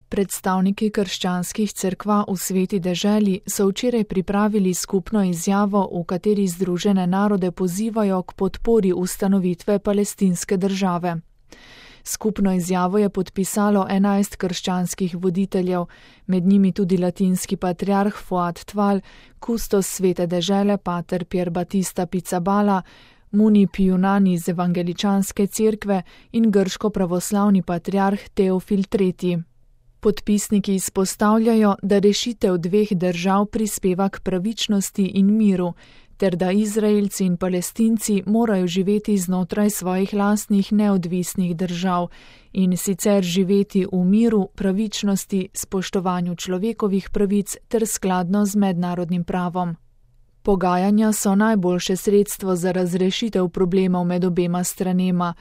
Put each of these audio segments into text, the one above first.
Predstavniki krščanskih cerkva v Sveti deželi so včeraj pripravili skupno izjavo, v kateri Združene narode pozivajo k podpori ustanovitve palestinske države. Skupno izjavo je podpisalo 11 krščanskih voditeljev, med njimi tudi latinski patriarh Fuad Tval, kustos Svete dežele pater Pier Battista Pizzaballa, Muni Pijunani iz evangeličanske cerkve in grško pravoslavni patriarh Teofil III. Podpisniki izpostavljajo, da rešitev dveh držav prispeva k pravičnosti in miru, ter da Izraelci in Palestinci morajo živeti znotraj svojih lastnih neodvisnih držav in sicer živeti v miru, pravičnosti, spoštovanju človekovih pravic ter skladno z mednarodnim pravom. Pogajanja so najboljše sredstvo za razrešitev problemov med obema stranema.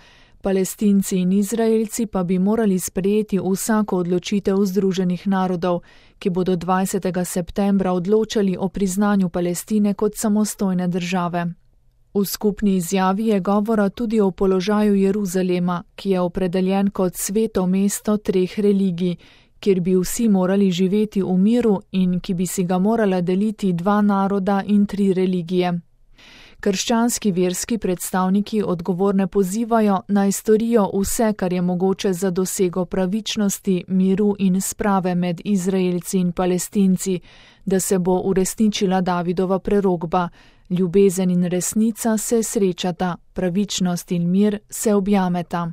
Palestinci in Izraelci pa bi morali sprejeti vsako odločitev Združenih narodov, ki bodo 20. septembra odločali o priznanju Palestine kot samostojne države. V skupni izjavi je govora tudi o položaju Jeruzalema, ki je opredeljen kot sveto mesto treh religij, kjer bi vsi morali živeti v miru in ki bi si ga morala deliti dva naroda in tri religije. Krščanski verski predstavniki odgovorne pozivajo, naj storijo vse, kar je mogoče za dosego pravičnosti, miru in sprave med Izraelci in Palestinci, da se bo uresničila Davidova prerokba: ljubezen in resnica se srečata, pravičnost in mir se objameta.